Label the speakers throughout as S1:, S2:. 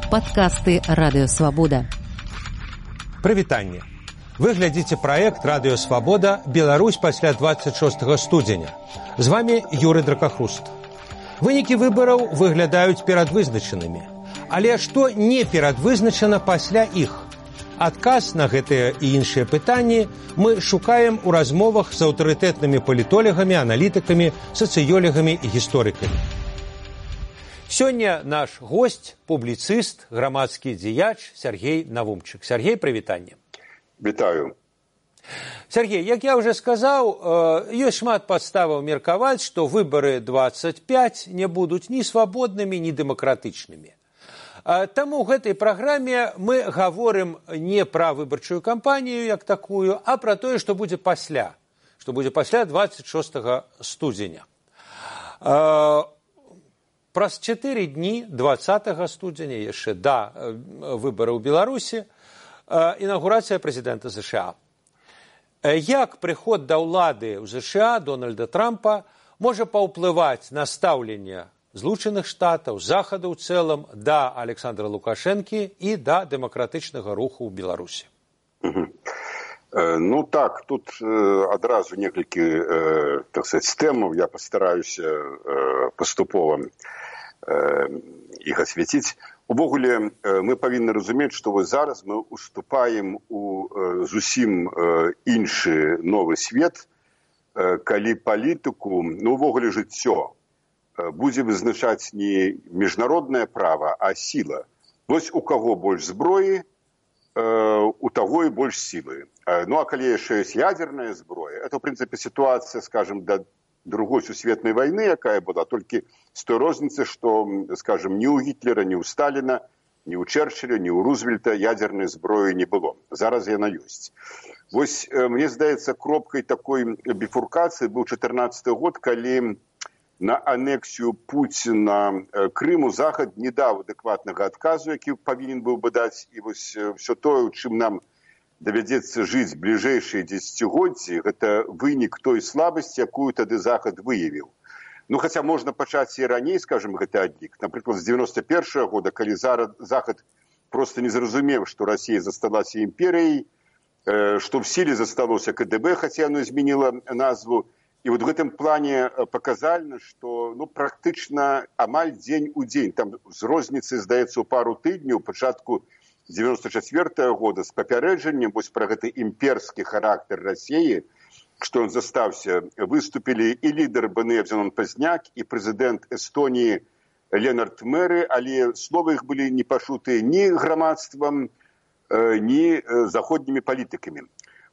S1: Падкасты Радыёвабода.
S2: Прывітанне. Вы глядзіце праект Радыёвабода «Беларусь пасля 26 студзеня». З вами Юрый Дракахруст. Вынікі выбараў выглядаюць перадвызначанымі. Але што не перадвызначана пасля іх? Адказ на гэтыя і іншыя пытанні мы шукаем у размовах з аўтарытэтнымі палітолагамі, аналітыкамі, сацыёлагамі і гісторыкамі. Сёння наш госць, публіцыст, грамадскі дзеяч Сергей Навумчык. Сергей, прывітанне.
S3: Вітаю.
S2: Сергей, як я уже сказаў, ёсць шмат падставаў меркаваць, што выбары 25 не будуць ні свабоднымі, ні дэмакратычнымі. Таму ў гэтай праграме мы гаворым не пра выбарчую кампанію як такую, а пра тое, што будзе пасля 26 студзеня. Праз 4 дні 20 студзеня, яшчэ да выбараў у Беларусі, інаўгурацыя прэзідэнта США. Як прыход да ўлады ў США Дональда Трампа можа паўплываць на стаўленне Злучаных Штатаў, Захаду ў цэлым, да Александра Лукашэнкі і да дэмакратычнага руху ў Беларусі?
S3: Ну так, тут адразу некалькі, так сказать, тэмаў. Я пастараюся паступова іх асвяціць. Увогуле, мы павінны разумець, што зараз мы уступаем у зусім іншы новы свет, калі палітыку, увогуле жыццё будзе вызначаць не міжнароднае права, а сіла. Вось у каго больш зброі, у таго і больш сілы. Ну, а калі яшчэ ёсць ядерная зброя, это, в прынцыпе, сітуацыя, скажем, да другой сусветнай вайны, якая была, толькі з той розніцы, што, скажем, ні ў Гітлера, ні ў Сталіна, ні ў Чэрчыля, ні ў Рузвельта ядернай зброі не было. Зараз яна ёсць. Вось, мне здаецца, кропкай такой біфуркацыі быў 14 год, калі на анексію Пуціна Крыму Захад не даў адэкватнага адказу, які павінен быў бы даць. І вось все тое, у чым нам давядзецца жыць бліжэйшыя дзесяцігоддзі, гэта вынік той слабасці, якую тады Захад выявіў. Ну, хаця можна пачаць і раней, скажем, гэты адлік. Напрыклад, з 91 года, калі Захад проста не зразумеў, што Расія засталася імперыяй, што в сіле засталося КДБ, хаця яно змяніла назву. І вот в гэтым плане паказальна, што практычна амаль дзень у дзень, там з розніцы, здаецца, у пару тыдняў, пачатку 94 года з папярэджаннем вось пра гэты імперскі характар Расіі, што ён застаўся, выступілі і лідар БНФ Зенон Пазняк, і прэзідэнт Эстоніі Ленард Мэры, але словы іх былі не пачутыя ні грамадствам, ні заходнімі палітыкамі.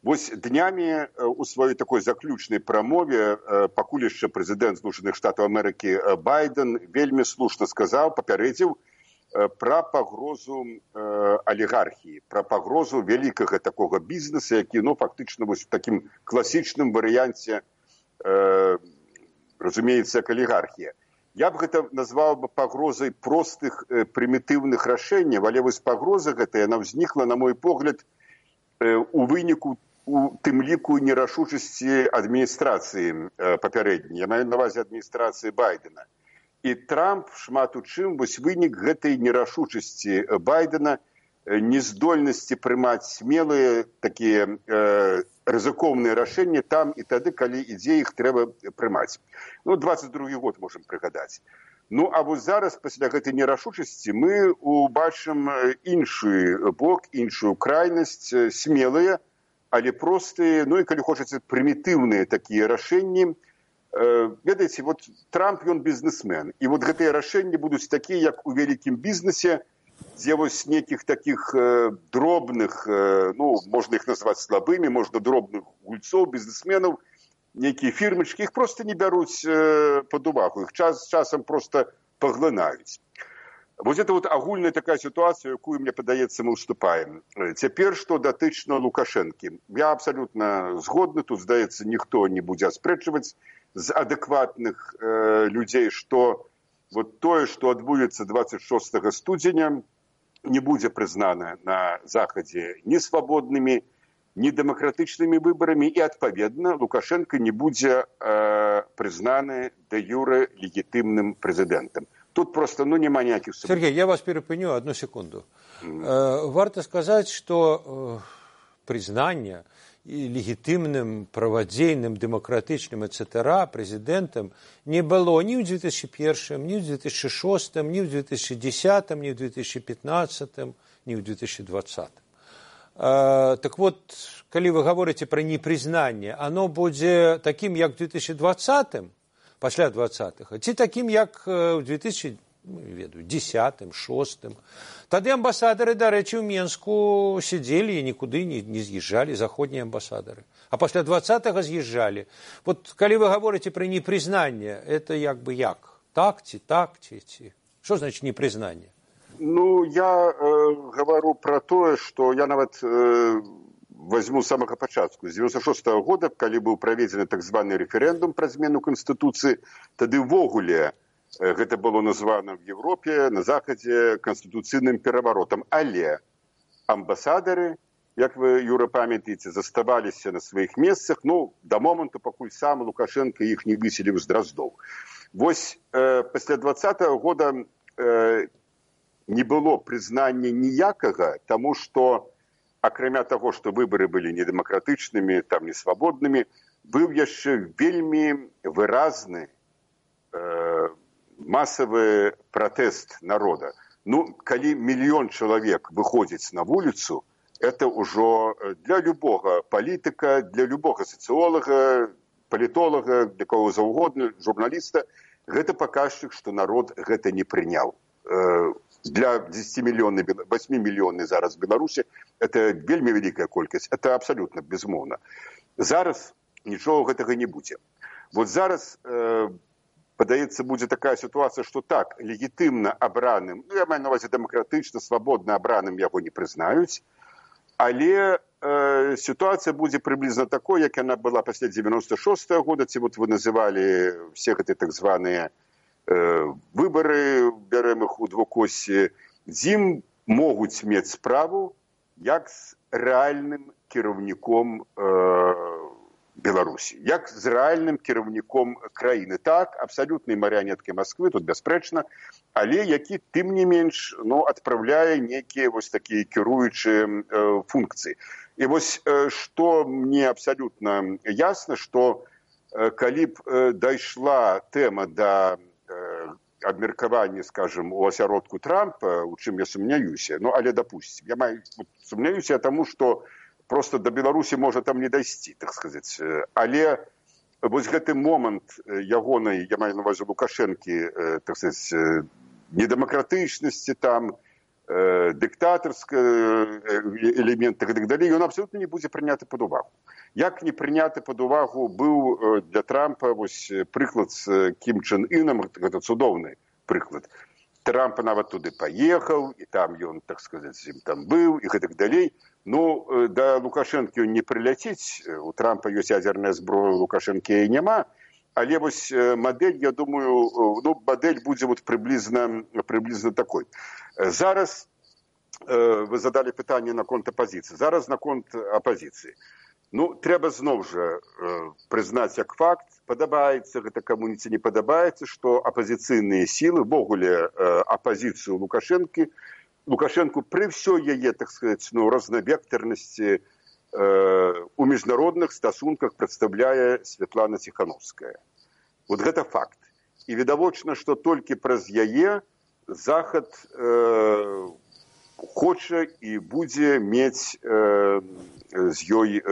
S3: Вось днямі у сваёй такой заключнай прамове пакуль яшчэ прэзідэнт Злучаных Штатаў Амерыкі Байден вельмі слушна сказаў, папярэдзіў пра пагрозу алігархіі, пра пагрозу вялікага такога бізнеса, які, фактычна, вось у такім класічным варыянце разумеецца, як алігархія. Я б гэта назваў бы пагрозай простых прымітыўных рашэнняў, але вось пагроза гэта, яна ўзнікла, на мой погляд, у выніку у тым ліку нерашучасці адміністрацыі папярэдняй, я маю на ўвазе адміністрацыі Байдена. І Трамп шмат у чым вось вынік гэтай нерашучасці Байдена, нездольнасці прымаць смелыя такія рызыкоўныя рашэнні там і тады, калі ідзе іх трэба прымаць. 22 год можам прыгадаць. А вось зараз, пасля гэтай нерашучасці, мы убачым іншы бок, іншую крайнасць, смелыя, але простыя, і, калі хочаце, прымітыўныя такія рашэнні. Ведаеце, вот Трамп, ён бізнесмен, і вот гэтыя рашэнні будуць такія, як у вялікім бізнесе, дзе вось нейкіх такіх дробных, можна іх назваць слабымі, можна дробных гульцоў, бізнесменаў, нейкія фірмачкі, іх проста не бяруць пад увагу, іх часам проста паглынаюць. Вось гэта вот агульная такая сітуацыя, якую, мне падаецца, мы ўступаем. Цяпер, што датычна Лукашэнкі. Я абсалютна згодны, тут, здаецца, ніхто не будзе аспрэчваць з адэкватных людзей, што вот тое, што адбудзецца 26 студзеня, не будзе прызнана на Захадзе ні свабоднымі, ні дэмакратычнымі выбарамі, і, адпаведна, Лукашенко не будзе прызнаны дэ юрэ легітымным прэзідэнтам. Тут просто няма ніякіх...
S2: Сергей, я вас перепыню одну секунду. Варто сказать, что признание и легитимным, праводейным, демократичным, etc. президентом не было ни в 2001, ни в 2006, ни в 2010, ни в 2015, ни в 2020. Так вот, коли вы говорите про непризнание, оно будет таким, как в 2020, после 20-х, ці таким, як в 2010, 2006. Тады амбасадары, до речі, в Менску сидели и никуда не съезжали, заходние амбассадоры. А после 20-го съезжали. Вот, коли вы говорите про непризнание, это як? Так, ці. Что значит непризнание?
S3: Ну, я говорю про то, что я нават возьму с самого початку. С 96-го года, когда был проведен так званый референдум про змену Конституции, тогда ввогуле гэта было названо в Европе, на Заходе, конституцыйным переворотом. Але амбасадары, як вы, Юра, памятаете, заставаліся на своих месцах, ну, до моменту, пакуль сам Лукашенко их не выселил з Дроздоў. Вось после 20-го года не было признания ніякага, тому что, акрамя того, что выборы были недемократичными, там, несвободными, был яшчэ вельмі выразны массовый протест народа. Ну, коли миллион человек выходит на улицу, это уже для любого политика, для любого социолога, политолога, для кого угодно, журналиста, это показчик, что народ это не принял. Для 10-миллионной, 8-миллионной зараз Беларуси это вельмі великая колькость, это абсолютно безумовно. Зараз ничего гэтага не будет. Вот зараз падаецца, будзе такая ситуация, что так, легитимно обраным, ну, я маю на увазі демократично, свободно обраным яго не признаюць, але ситуация будет приблизно такой, як она была после 96-го года, ці вот вы называли все эти так званые выборы, бярем их у двукосі, дзе могуць мець справу як з рэальным кіраўніком Беларусі, як з рэальным кіраўніком краіны. Так, абсалютнай марыянеткай Масквы, тут бясспрэчна, але які, тым не менш, ну, адпраўляе нейкія вось такія кіруючыя функцыі. І вось, што мне абсалютна ясна, што калі б дайшла тэма да абмеркавання, скажем, у асяродку Трампа, у чым я сумняюся, ну, але допустим, я сумняюся таму, што просто до Беларусі можа там не дайсці, так сказаць. Але вось гэты момант ягонай, я маю на увазі Лукашэнкі, так сказаць, недемократычнасці там, диктаторская элемент и так далее, он абсолютно не будет прыняты под увагу. Як не прыняты под увагу был для Трампа вось прыклад с Ким Чен Ыном, это цудоўны прыклад. Трамп нават туды поехал, и там он, так сказать, там был, и так далее. Ну, да Лукашэнкі он не прыляціць, у Трампа ёсць ядерная зброя, у Лукашэнкі няма, але вось модель, я думаю, ну, модель будзе вот приблизно такой. Зараз вы задали пытанне наконт апозіцыі. Зараз наконт апозіцыі. Ну, трэба зноў жа прызнаць як факт, падабаецца гэта каму ці не падабаецца, што апозіцыйныя сілы, ввогуле апозіцыю Лукашэнку пры ўсёй яе, так сказаць, ну, рознавектарнасці у міжнародных стасунках прадстаўляе Святлана Ціхановская. Вот гэта факт. І відавочна, што толькі праз яе Захад хоча і будзе мець з ёй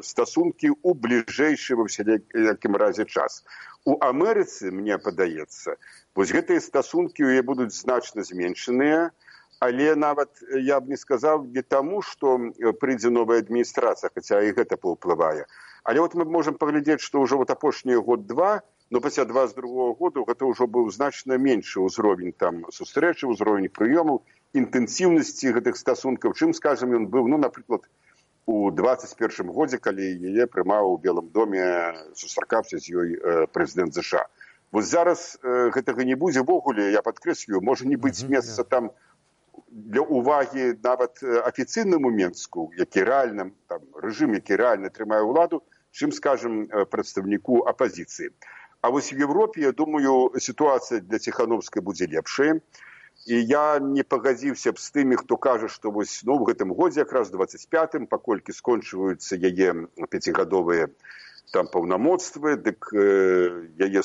S3: стасункі ў бліжэйшы ва всякім разе час. У Амерыцы, мне падаецца, вось гэтыя стасункі ў яе будуць значна зменшаныя, але нават я б не сказаў не таму, што прыйдзе новая адміністрацыя, хаця і гэта паўплывае. Але вот мы можам паглядзець, што ўжо вот апошнія год-два, но пасля 22-го года гэта ўжо быў значна меншы ўзровень там сустрэчы, ўзровень прыёмаў, інтэнсіўнасці гэтых стасункаў, чым, скажем, ён быў, ну, напрыклад, у 21-м годзе, калі яе прымаў у Белым доме, сустракаўся з ёй прэзідэнт США. Вось зараз гэтага не будзе ввогуле, я падкрэслю, можа не быць месца там для увагі нават афіцыйнаму Менску, які рэальна, там, рэжым, які рэальна трымае ўладу, чым, скажем, прадстаўніку апозіцыі. А вось в Европе, я думаю, ситуация для Тихановской будет лепшая. И я не пагадзіўся б з тымі, хто кажа, што вось, ну, в гэтым годзе, якраз 25-м, паколькі скончваюцца яе 5гадовыя там паўнамоцтвы, дык яе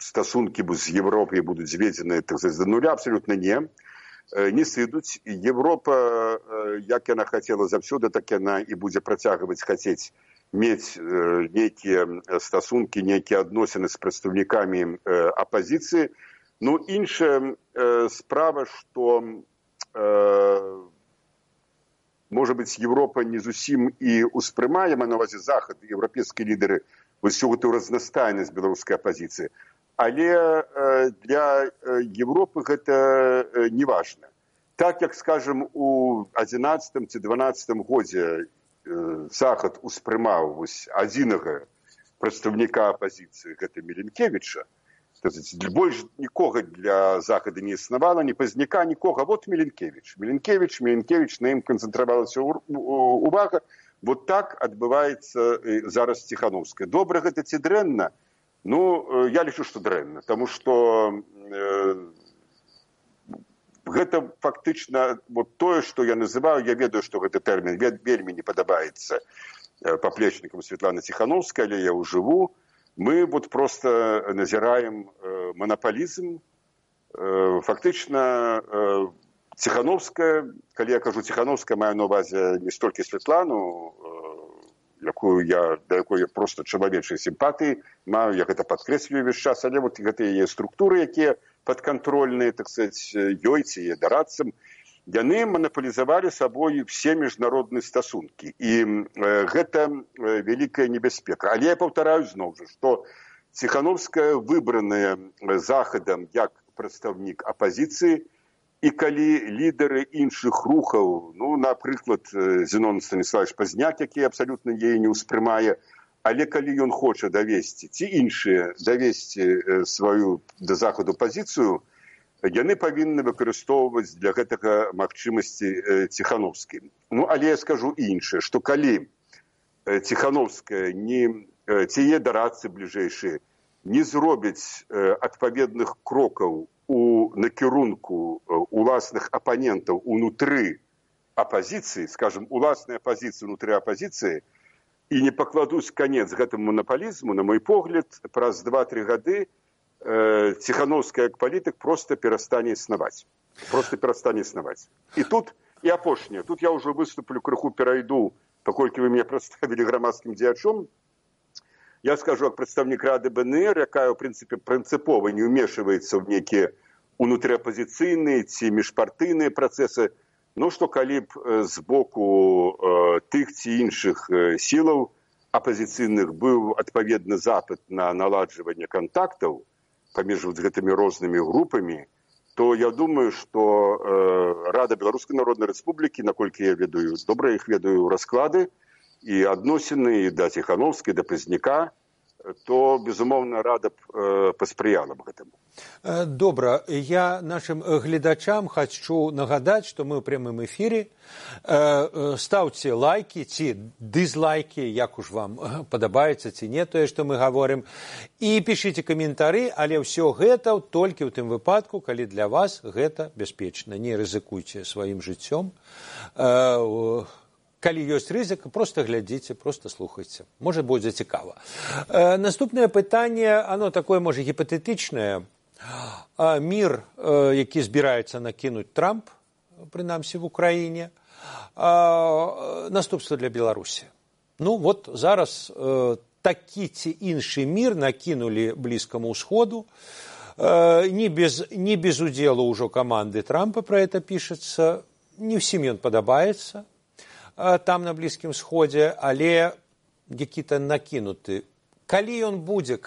S3: стасункі з Европай будуць зведзеныя, так сказаць, да нуля, абсолютно не сыдуць. Европа, як яна хацела заўсёды, так яна і будзе працягваць хацець мець нейкія стасункі, нейкія адносіны з прадстаўнікамі апазіцыі. Ну, іншая справа, што, можа быць, Европа не зусім і ўспрымае, маю на ўвазе Захад, еўрапейскія лідары, вось всю гэтую разнастайнасць беларускай апазіцыі. Але для Европы гэта не важна. Так, як, скажем, у 11 ці 12 годзе Захад успрымаў вось адзінага прадстаўніка апазіцыі, гэта Міленкевіча, больш нікога для Захада не існавала, ні пазняка, нікога. Вот Міленкевіч, на ім канцэнтравалася увага. Вот так адбываецца зараз Тихановская. Добра гэта ці дрэнна? Ну, я лічу, што дрэнна, таму што гэта фактычна вот тое, што я называю, я ведаю, што гэты тэрмін вельмі не падабаецца паплечнікам Светланы Тихановскай, але я ўжыву. Мы вот просто назираем монополизм. Фактично, Тихановская, коли я кажу Тихановская, маю на увазі не стільки Світлану, до якої я просто чоловічої симпатії маю, я гэта підкреслюю весь час, але вот гэта є структури, які підконтрольні, так сказать, ёй ці є дорадцам, яны монополізавалі сабой все міжнародныя стасункі. І гэта вялікая небяспека. Але я паўтараю зноў жа, што Тихановская выбраная Захадам як прадстаўнік апазіцыі, і калі лідары іншых рухаў, ну, напрыклад, Зенон Станіславович Пазняк, які абсалютна яе не ўспрымае, але калі ён хоча давесці, ці іншыя давесці сваю да Захаду пазіцыю, яны павінны выкарыстоўваць для гэтага магчымасці Тихановскай. Ну, але я скажу іншае, што калі Тихановская ці яе дарадцы бліжэйшыя не зробяць адпаведных крокаў у накірунку уласных апанентаў унутры апазіцыі, скажем, уласная апазіцыя унутры апазіцыі, і не пакладуць канец гэтаму монополізму, на мой погляд, праз 2-3 гады Тихановская як палітык просто перастане існаваць. І тут, і апошняе, тут я ўжо выступлю, крыху перайду, паколькі вы мяне прадставілі грамадскім дзеячом. Я скажу, як прадстаўнік Рады БНР, якая, ў прынцыпе, прынцыпова не ўмешваецца ў нейкія унутрыапазіцыйныя ці міжпартыйныя працэсы, ну, што калі б з боку тых ці іншых сілаў апазіцыйных быў адпаведны запыт на наладжванне кантактаў паміж гэтымі рознымі групамі, то я думаю, што Рада Беларускай Народнай Рэспублікі, наколькі я ведаю, добра іх ведаю расклады і адносіны і да Тихановскай, да Пазняка, то, безумоўна, Рада б паспрыяла б гэтаму.
S2: Добра, я нашим гледачам хочу нагадаць, што мы ў прямым эфіры. Ставце лайки ці дызлайки, як уж вам падабаецца ці не тое, што мы гаворым, і пішыце каментары, але ўсё гэта толькі ў тым выпадку, калі для вас гэта бяспечна. Не рызыкуйце сваім жыццём. Калі ёсць рызыка, просто глядзіце, просто слухайце. Можа, будзе цікава. Наступнае пытанне, оно такое, можа, гіпатэтычнае. Мір, які збіраецца накінуць Трамп, прынамсі в Украіне, наступства для Беларусі. Ну, вот зараз такі ці іншы мір накінулі Блізкаму ўсходу. Не без удзелу ўжо каманды Трампа пра гэта пішацца. Не ўсім ён падабаецца там на Блізкім Сходзе, але які-то накінуты. Калі ён будзе,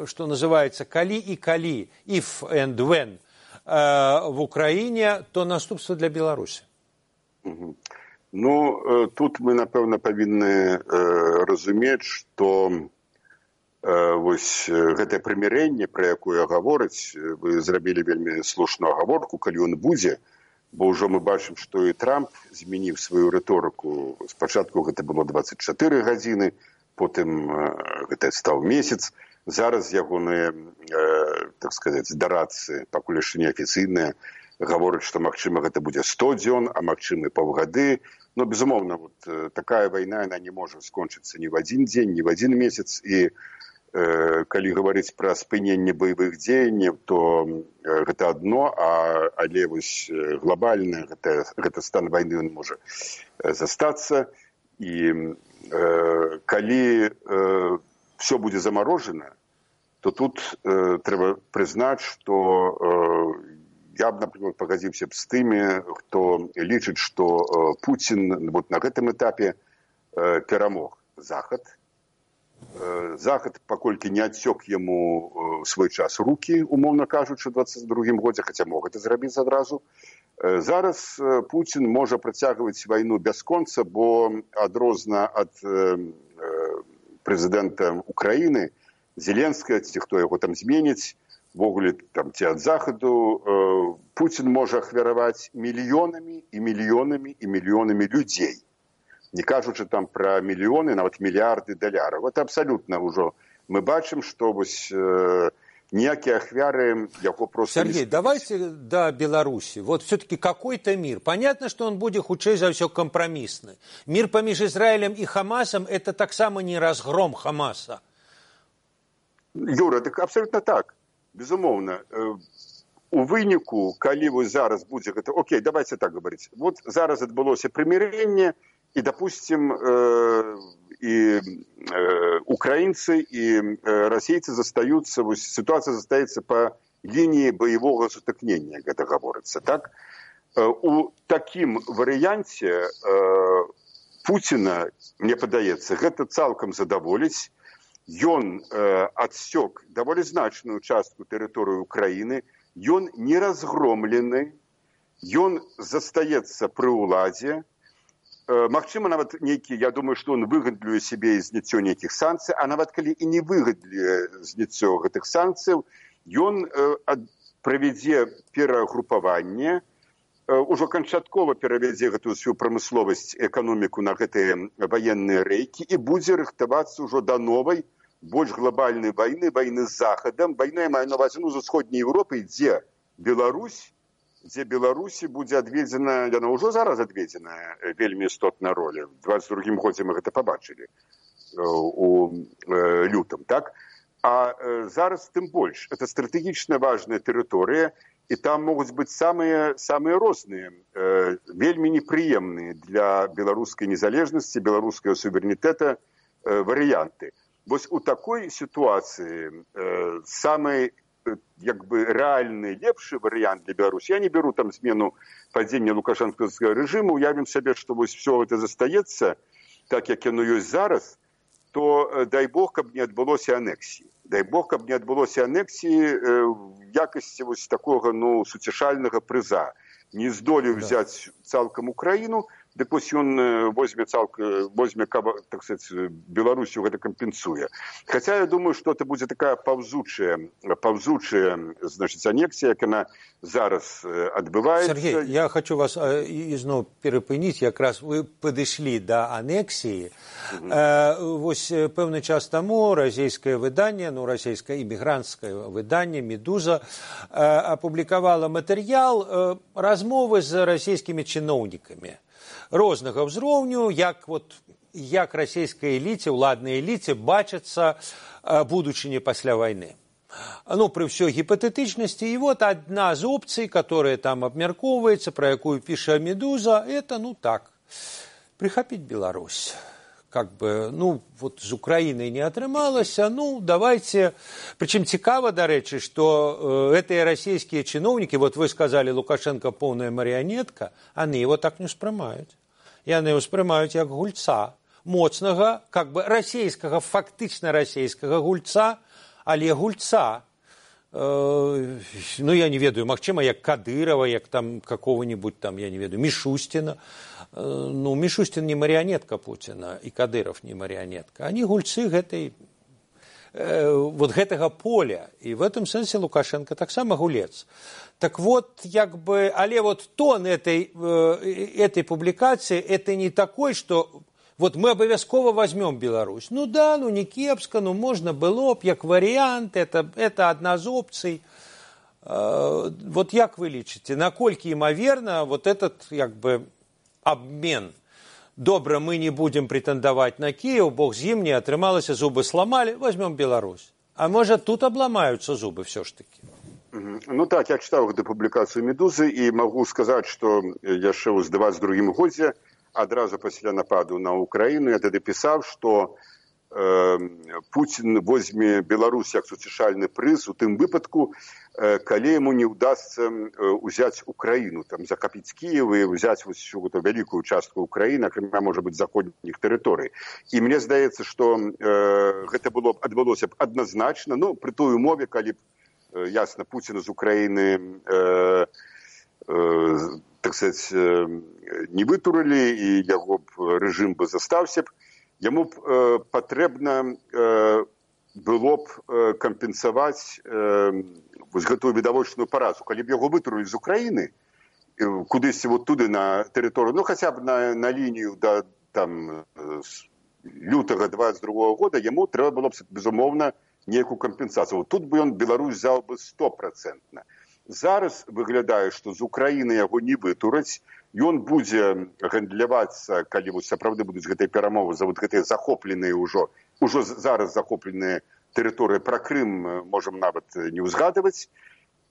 S2: што называецца, калі і калі, if and when, в Украіне, то наступства для Беларусі.
S3: Ну, тут мы, напэўна, павінны разумець, што вось гэтае прымірэнне, пра якое гавораць, вы зрабілі вельмі слушную агаворку, калі ён будзе, бо ўжо мы бачым, што і Трамп змяніў сваю рыторыку. Спачатку гэта было 24 гадзіны, потым гэта стаў месяц. Зараз ягоныя, так сказаць, дарадцы, пакуль яшчэ неафіцыйныя, гавораць, што, магчыма, гэта будзе 100 дзён, а магчыма, паўгады. Но, безумоўна, такая вайна, яна не можа скончыцца ні в адзін дзень, ні в адзін месяц. І калі гаварыць пра спыненне баявых дзеянняў, то гэта адно, але вось глобальна гэта стан вайны ён можа застацца. І калі все будзе замарожана, то тут трэба прызнаць, што я б, напрыклад, пагадзіўся б з тымі, хто лічыць, што Пуцін на гэтым этапе перамог Захад. Захад, паколькі не адсёк яму свой час рукі, умоўна кажучы, у 22-м годзе, хаця мог гэта зрабіць адразу. Зараз Пуцін можа працягваць вайну бясконца, бо адрозна ад прэзідэнта Украіны, Зеленскага, ці хто яго там зменіць, ввогуле там ці ад Захаду, Пуцін можа ахвяраваць мільёнамі і мільёнамі і мільёнамі людзей. Не кажучы там пра мільёны, нават мільярды даляраў. Это абсалютна ўжо. Мы бачым, што вось ніякія ахвяры яго просто...
S2: Сергей, давайте до Беларуси. Вот все-таки какой-то мир. Понятно, что он будет хутчэй за ўсё компромиссный. Мир поміж Израилем и Хамасом – это так само не разгром Хамаса.
S3: Юра, так абсолютно так. Безумоўна. У выніку, калі вось зараз будзе гэта... Окей, давайте так говорить. Вот зараз адбылося прымірэнне, и, допустим, и украинцы, и российцы застаются, ситуация застаецца по линии боевого сутыкнення, гэта гаворыцца, так? У такім варыянце Пуціна, мне падаецца, гэта цалкам задаволіць. Ён адсёк даволі значную частку тэрыторыі Украіны, ён не разгромлены, ён застаецца пры ўладзе. Магчыма, нават нейкі, я думаю, што ён выгадлюе сябе зняццё нейкіх санкцый, а нават калі і не выгадлюе зняццё гэтых санкцыяў, ён правядзе перагрупаванне, ужо канчаткова перавядзе гэтую сваю прамысловасць, эканоміку на гэтыя ваенныя рэйкі і будзе рыхтавацца ўжо да новай, больш глобальнай вайны, вайны з Захадам. Вайна, я маю на ўвазе, з усходняй Еўропы, дзе Беларусі будзе адведзена, яна ўжо зараз адведзена вельмі істотная роля. У 22-м годзе мы гэта пабачылі у лютым, так? А зараз тым больш. Это стратэгічна важная тэрыторыя, і там могуць быць самыя розныя, вельмі непрыемныя для беларускай незалежнасці, беларускага суверэнітэта варыянты. Вось у такой сітуацыі самый як бы рэальны лепшы варыянт для Беларусі. Я не беру там змену падзення лукашэнкаўскага рэжыму, уявім сабе, што вось все гэта застаецца, так як яно ёсць зараз, то дай Бог, каб не адбылося анексіі. Дай Бог, каб не адбылося анексіі в якасці вось такога, суцішальнага прыза. Не здолеў взяць цалкам Украіну, дык вось ён возьме, так сказать, Беларусю гэта кампенсуе. Хаця я думаю, што это будзе такая паўзучая, значит, анексія, як яна зараз адбываецца.
S2: Сергей, я хочу вас ізноў перапыніць, якраз вы падышлі да анексіі. Вось пэўны час таму расійскае выданне, расійскае імігранцкае выданне «Медуза» апублікавала матэрыял размовы з расійскімі чыноўнікамі рознага ўзроўню, як расійскай эліце, уладнай эліце бачацца будучыня пасля вайны. Пры ўсёй гіпатэтычнасці. І вот адна з опцый, которая там абмяркоўваецца, пра якую піша «Медуза», это, так, прихапіць Беларусь. З Украінай не атрымалася, давайте... Прычым цікава, дарэчы, што гэтыя расійскія чыноўнікі, вы сказалі, Лукашенко поўная марыянетка, яны его так не ўспрымаюць. Яны ўспрымаюць як гульца, моцнага, расійскага, фактычна расійскага гульца, але гульца. Я не ведаю, магчыма, як Кадырова, як там какого-нибудь там, я не ведаю, Мишустина. Мишустин не марионетка Путина, и Кадыров не марионетка. Они гульцы гэтага поля. И в этом смысле Лукашенко так само гулец. Так вот, але тон этой публикации, это не такой, что вот мы обовязково возьмем Беларусь. Ну да, ну не кепска, ну можно было б, як вариант, это одна з опций. Вот як вы лічыце, наколькі імаверна вот этот як бы обмен? Добра, мы не будем претендовать на Киев, бог з ім не атрымалася, зубы сломали, возьмем Беларусь. А может, тут обломаются зубы все ж таки?
S3: Ну так, я читал эту публикацию «Медузы» и могу сказать, что яшчэ ў 22 годзе, адразу пасля нападу на Украину, я тады пісаў, что Путин возьме Беларусь як суцішальны прыз у тым выпадку, калі ему не удастся взять Украину, там, захопить Киев и взять вот всю эту великую частку Украины, акрамя, может быть, заходних территорий. И мне здаецца, что гэта адбылося б однозначно, ну, при той умове, калі ясно, Путина з Украины, так сказать, не вытурили, и его режим бы застаўся б, ему патрэбна было б кампенсаваць гэтую відавочную паразу. Калі б яго вытурылі з Украіны, кудысьці вот туды на тэрыторыю, ну хотя б на лінію да там лютага 22 года, яму трэба было б, безумоўна, нейкую кампенсацыю. Вот тут бы ён Беларусь взял бы 100%. Зараз выглядае, што з Украіны яго не вытураць, ён будзе гандлявацца, калі вот сапраўды будуць гэтыя перамовы за вот гэтыя захопленыя ўжо зараз захопленыя тэрыторыі, пра Крым можам нават не ўзгадваць,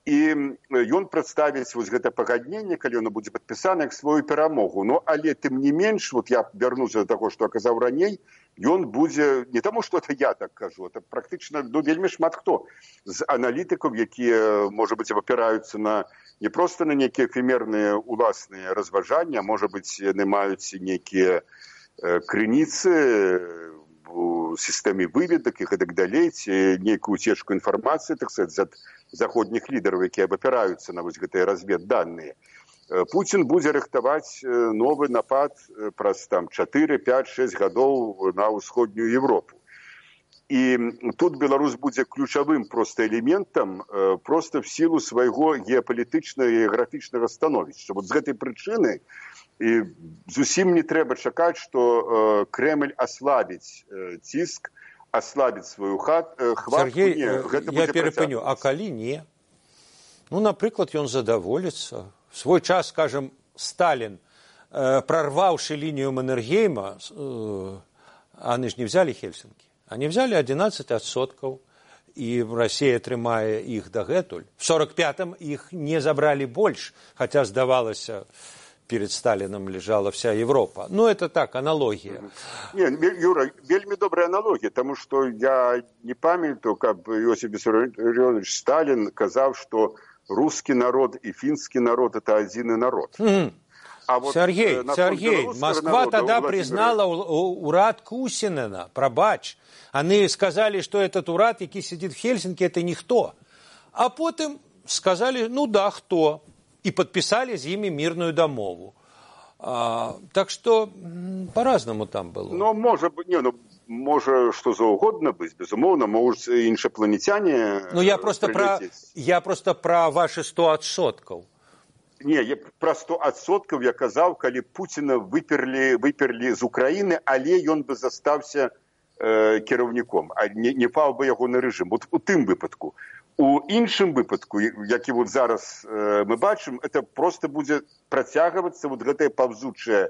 S3: і ён прадставіць вось гэта пагадненне, калі оно будзе падпісана, як сваю перамогу. Ну, але тым не менш, вот я вярнуся да таго, што казаў раней, ён будзе, не таму, што это я так кажу, это практычна, ну, вельмі шмат хто з аналітыкаў, якія, можа быць, апіраюцца на не проста на нейкія эфемерныя уласныя разважанні, а можа быць, яны маюць нейкія крыніцы у сістэме выведак і гэтак далей, ці нейкую уцечку інфармацыі, так сказаць, ад заходніх лідараў, якія абапіраюцца на вось гэтыя разведданыя. Путин будзе рыхтаваць новы напад праз там 4, 5, 6 гадоў на ўсходнюю Европу. І тут Беларусь будзе ключавым просто элементам, просто в силу свайго геапалітычнага і геаграфічнага становішча. Вот з гэтай прычыны і зусім не трэба чакаць, што Кремль аслабіць ціск, аслабіць сваю хватку.
S2: Сергей, я перапыню, а калі не? Ну, напрыклад, ён задаволіцца. В свой час, скажем, Сталин, прорвавший линию Маннергейма, они же не взяли Хельсинки, они взяли 11 отсотков, и Россия атрымае их дагэтуль. В 45-м их не забрали больше, хотя, сдавалось, перед Сталином лежала вся Европа. Ну, это так, аналогия.
S3: Не, Юра, вельмі добрая аналогия, потому что я не памятаю, как Иосиф Виссарионович Сталин сказал, что русский народ и финский народ – это один народ. А вот
S2: Сергей, Москва тогда признала урад Кусинена, пробач. Они сказали, что этот урад, який сидит в Хельсинки, это никто. А потом сказали, ну да, кто. И подписали с ними мирную домову. Так что по-разному там было.
S3: Ну, может быть, не, ну, може что заўгодна быць, безумоўна, могуць іншапланетяне.
S2: Ну, я просто про ваши 100%.
S3: Не, про 100% я казаў, калі Пуціна выперлі з Украіны, але ён бы застаўся кіраўніком, а не паў бы ягоны рэжым. Вот у тым выпадку. У іншым выпадку, які вот зараз мы бачым, это просто будзе працягвацца вот гэтая паўзучая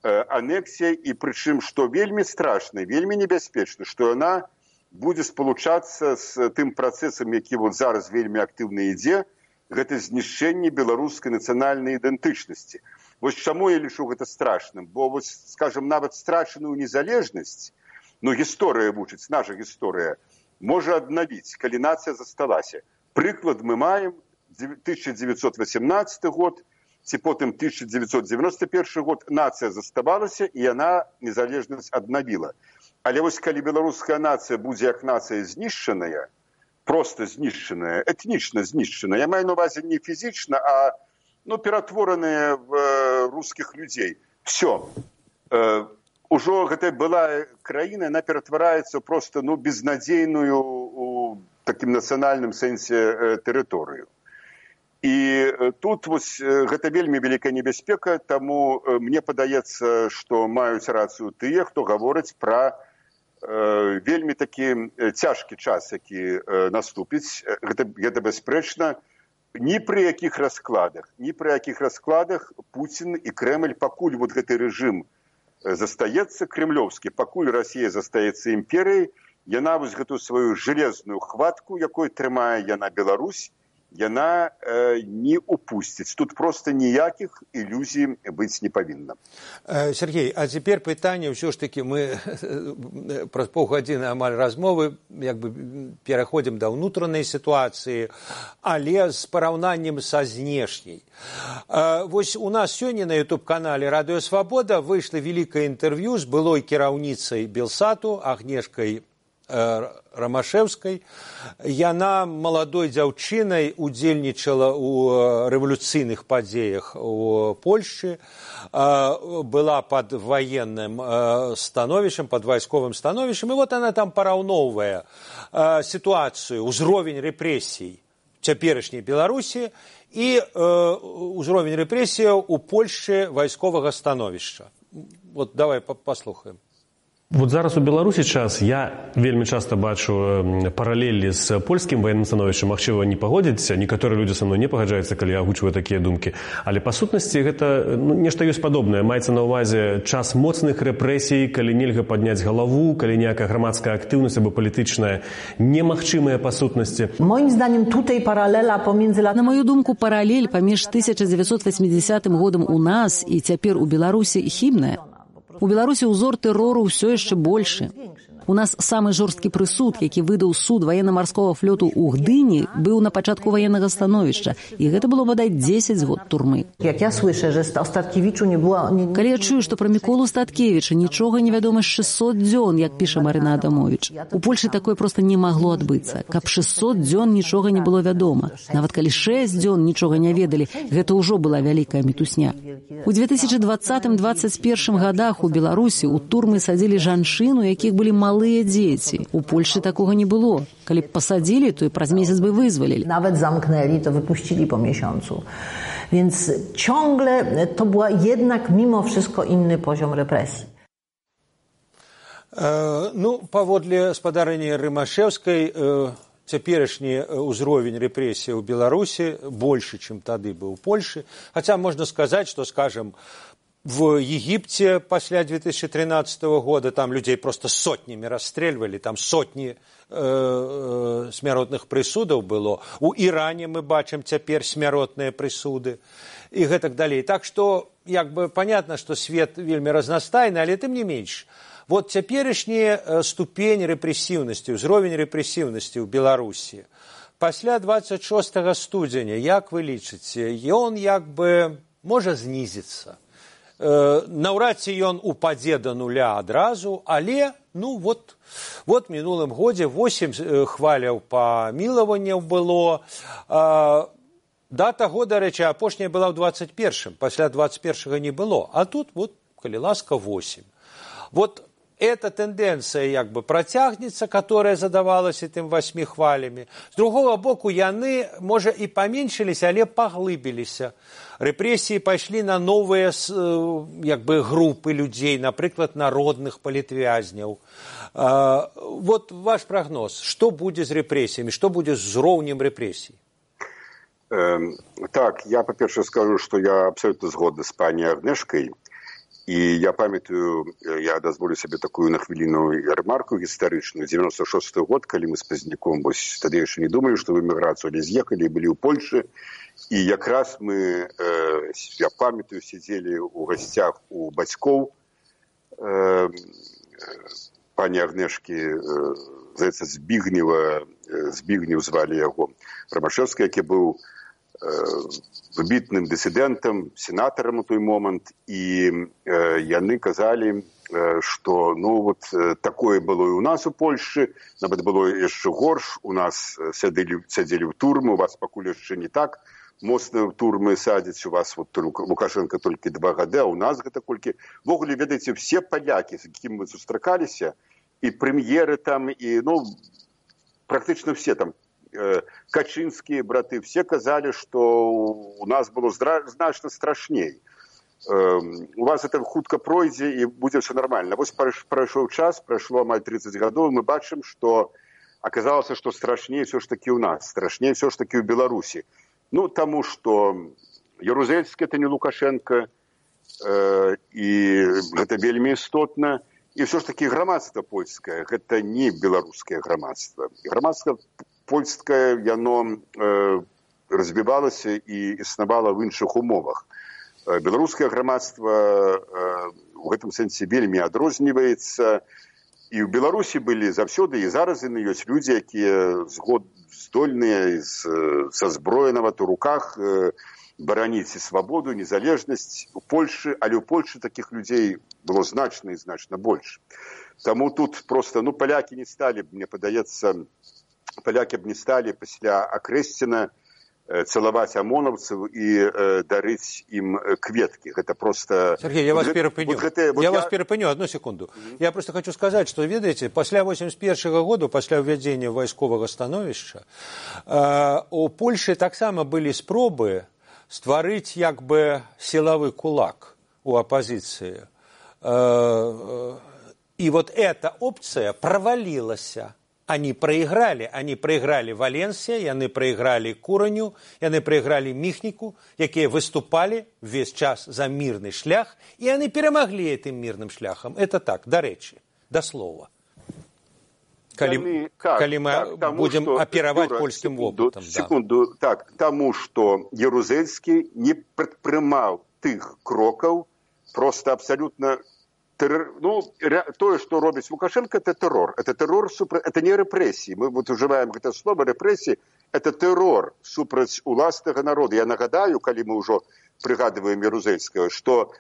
S3: анексія, і прычым, што вельмі страшна, вельмі небяспечна, што яна будзе спалучацца з тым працэсам, які вот зараз вельмі актыўна ідзе, гэта знішчэнне беларускай нацыянальнай ідэнтычнасці. Вось чаму я лічу гэта страшным? Бо, вот, скажем, нават страчаную незалежнасць, ну, гісторыя вучыць, наша гісторыя, можа аднавіць, калі нацыя засталася. Прыклад мы маем 1918 год, ці потым 1991 год нацыя заставалася, і яна незалежнасць аднавіла. Але вось калі беларуская нацыя будзе як нацыя знішчаная, просто знішчаная, этнічна знішчаная, я маю на увазе не фізічна, а ну, ператвораная в рускіх людзей. Все. Ужо гэтая была краіна, яна ператвараецца просто ну, безнадзейную у такім нацыянальным сэнсе тэрыторыю. І тут вось гэта вельмі вялікая небяспека, таму мне падаецца, што маюць рацыю тыя, хто гаворыць пра вельмі такі цяжкі час, які наступіць. Гэта бясспрэчна. Ні пры якіх раскладах Пуцін і Крэмль, пакуль вот гэты рэжым застаецца кремлёвскі, пакуль Расія застаецца імперыяй, яна вось гэту сваю жалезную хватку, якой трымае яна Беларусь, яна не упусціць. Тут проста ніякіх ілюзій быць не павінна.
S2: Сергей, а цяпер пытанне, ўсё ж такі мы праз паўгадзіны амаль размовы пераходзім да ўнутранай сітуацыі, але з параўнаннем са знешняй. Вось у нас сёння на YouTube-канале «Радыё Свабода» выйшла вялікае інтэрв'ю з былой кіраўніцай Белсату Агнешкай Рамашэўскай. Яна маладой дзяўчынай удзельнічала ў рэвалюцыйных падзеях у Польшчы, была пад ваенным становішчам, пад вайсковым становішчам, і вот она там параўноўвае сітуацыю, узровень рэпрэсій цяперашняй Беларусі і ўзровень рэпрэсіяў у Польшчы вайсковага становішча. Вот давай паслухаем.
S4: Вот зараз у Беларусі час, я вельмі часта бачу паралелі з польскім ваенным становішчам, магчыма, не пагодзіцца, некаторыя людзі са мной не пагаджаюцца, калі я агучваю такія думкі, але па сутнасці гэта нешта ёсць падобнае, маецца на ўвазе час моцных рэпрэсій, калі нельга падняць галаву, калі ніякая грамадская актыўнасць або палітычная немагчымая па сутнасці.
S5: Моим зданiem tutaj паралеля паміж...
S1: На мою думку, паралель паміж 1980 годам у нас і цяпер у Беларусі хібная. У Беларусі ўзор тэрору ўсё яшчэ большы. У нас самы жорсткі прысуд, які выдаў суд военно-марского флоту ў Гдыні, быў на пачатку военнага становішча, і гэта было, бадай, 10 год турмы.
S5: Як я слышу, што о Статкевічу не было...
S1: Калі я чую, што пра Міколу Статкевіча нічога не вядома з 600 дзён, як піша Марына Адамовіч. У Польшы такое проста не магло адбыцца. Каб 600 дзён нічога не было вядома. Нават калі 6 дзён нічога не ведалі, гэта ўжо была вялікая мітусня. У 2020-2021 годах у Беларусі у турмы садзілі жанчын, у якіх былі малыя дзеці. У Польшы такога не было. Калі б пасадзілі, то і праз месяц бы вызвалілі.
S5: Nawet zamknęli, to wypuścili po miesiącu. Więc ciągle to była jednak mimo wszystko inny poziom represji.
S2: Паводле спадарыні Рымашэўскай, цяперашні ўзровень рэпрэсій у Беларусі больше, чым тады быў у Польшы. Хаця можна сказаць, што, скажем, в Египте пасля 2013 года там людей просто сотнями расстреливали, там сотні смяротных прысудаў было. У Іране мы бачым цяпер смяротныя прысуды і гэтак далей. Так што, понятно, што свет вельмі разнастайны, але тым не менш. Вот цяперашняя ступень рэпрэсіўнасці, ўзровень рэпрэсіўнасці ў Беларусі. Пасля 26 студзеня, як вы лічыце, ён можа знізіцца. Наўрад ці ён упадзе да нуля адразу, але, вот мінулым годзе 8 хваляў памілаванняў было. Дата года, рэчы, апошняя была ў 21-м, пасля 21-го не было, а тут, калі ласка, 8. Вот эта тенденция протягнется, которая задавалась этим 8 хвалями. С другого боку, яны, можа, и поменьшились, але поглыбились. Репрессии пошли на новые группы людей, например, народных политвязнёў. Вот ваш прогноз. Что будет с репрессиями? Что будет с уровнем репрессий?
S3: Так, я, по-перше, скажу, что я абсолютно згодна з пані Агнешкай. І я памятаю, я дазволю сабе такую на хвіліну ремарку гістарычную. 96-й год, калі мы з Пазняком, тады яшчэ не думалі, што в эміграцыю, але з'ехалі, былі ў Польшы. І якраз мы, я памятаю, сидзелі ў гасцях у бацькоў пані Агнешкі, здаецца, Збігнеў звалі яго, Рамашэўскі, які быў выбітным дысідэнтам, сенатарам у той момант, і яны казалі, што такое было і у нас у Польшчы, нават было яшчэ горш, у нас сядзелі ў турмы, у вас пакуль яшчэ не так моцна ў турмы садзяць, у вас Лукашенко толькі 2 гады, а у нас гэта колькі. Ввогуле, ведаеце, все палякі, з якімі мы сустракаліся, і прэм'еры там, і, практычна все там, Качынскія браты, все казалі, што у нас было значна страшней. У вас это хутка пройдзе і будзе все нормально. Вось прайшоў час, прайшло амаль 30 гадоў, мы бачым, што аказалася, што страшней все ж таки у нас, страшней все ж таки ў Беларусі. Ну, таму што Ярузельскі это не Лукашенко, і гэта вельмі істотна. І все ж таки грамадства польскае, гэта не беларускае грамадства. Грамадства польскае, яно развівалася і існавала в іншых умовах. Беларускае грамадства у гэтым сэнсе вельмі адрозніваецца. І ў Беларусі былі заўсёды, і зараз яны ёсць людзі, якія здольныя са зброенава у руках бараніць і свабоду, незалежнасць у Польшы, але ў Польшы такіх людзей было значна і значна больш. Таму тут проста, палякі не сталі, мне падаецца, палякі б не сталі пасля Акрэсціна цалаваць амонаўцаў і дарыць ім кветкі. Гэта просто...
S2: Сергей, я вас перапыню. Вас перапыню, одну секунду. Я просто хочу сказать, что, ведаеце, пасля 81 году, пасля ўвядзення вайсковага становішча, у Польшы таксама былі спробы стварыць як бы силовый кулак у оппозиции. И вот эта опция провалилась. Они проиграли Валенсия, яны проиграли Кураню, яны проиграли Міхніку, якія выступали весь час за мирный шлях, и они перемогли этим мирным шляхом. Это так, до речи, до слова. Калі мы будем оперовать польским опытом.
S3: Секунду, так, тому, что Ярузельскі не прадпрымаў тых крокаў, просто абсолютно... тое, што робіць Лукашенко, это террор. Это не репрессии. Мы вот уживаем это слово репрессии. Это террор супраць уласнага народа. Я нагадаю, калі мы ўжо прыгадываем Ярузельскага, што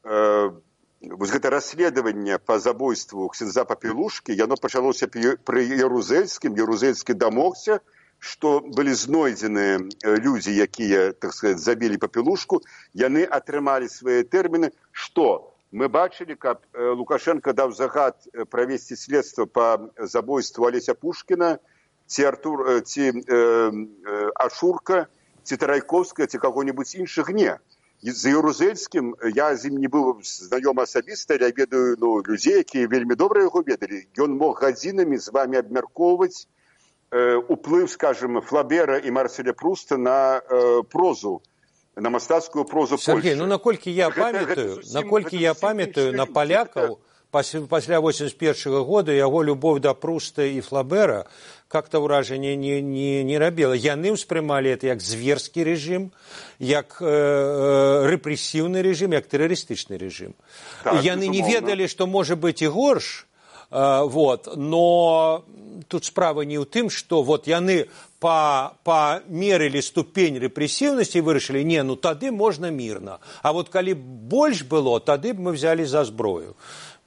S3: вот гэта расследаванне по забойству ксяндза Папелушкі, яно пачалося пры Ярузельскім. Ярузельскі дамогся, што былі знойдзены людзі, якія, так сказать, забілі Папелушку. Яны атрымалі свае тэрміны. Што? Мы бачылі, каб Лукашенко даў загад правесці следства по забойству Алеся Пушкіна, ці Ашурка, ці Тарайковскага, ці каго-небудзь іншых. Не. За Ярузельскім я з ім не быў знаёмы асабіста, я ведаю людзей, якія вельмі добра яго ведалі. Ён мог гадзінамі з вамі абмяркоўваць уплыў, скажем, Флабера і Марселя Пруста на прозу, на мастацкую прозу Польши.
S2: Сергей, наколькі я памятаю на палякаў пасля 81 года яго любовь да Пруста і Флабера как-то ўражанне не рабіла. Яны ўспрымалі это як зверскі рэжым, як рэпрэсіўны рэжым, як тэрарыстычны рэжым. Так, яны не ведалі, што можа быць і горш, но тут справа не ў тым, што яны памерылі ступень рэпрэсіўнасці і вырашылі, тады можна мірна. А калі больш было, тады б мы взяли за зброю.